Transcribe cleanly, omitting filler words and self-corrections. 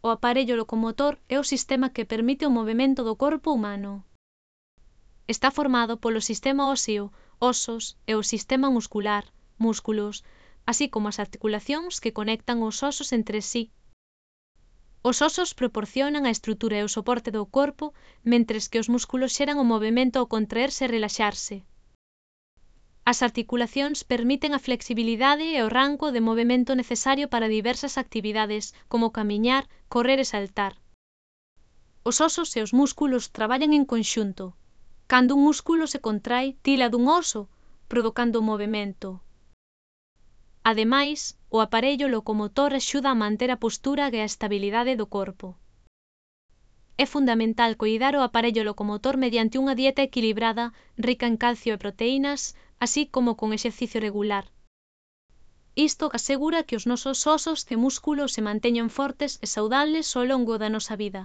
o aparello locomotor é o sistema que permite o movemento do corpo humano. Está formado polo sistema óseo, osos, e o sistema muscular, músculos, así como as articulacións que conectan os osos entre sí. Os osos proporcionan a estrutura e o soporte do corpo, mentres que os músculos xeran o movemento ao contraerse e relaxarse. As articulacións permiten a flexibilidade e o rango de movemento necesario para diversas actividades, como camiñar, correr e saltar. Os osos e os músculos traballan en conxunto. Cando un músculo se contrae, tila dun oso, provocando o movemento. Ademais, o aparello locomotor axuda a manter a postura e a estabilidade do corpo. É fundamental coidar o aparello locomotor mediante unha dieta equilibrada, rica en calcio e proteínas, así como con exercicio regular. Isto asegura que os nosos osos e músculos se manteñan fortes e saudables ao longo da nosa vida.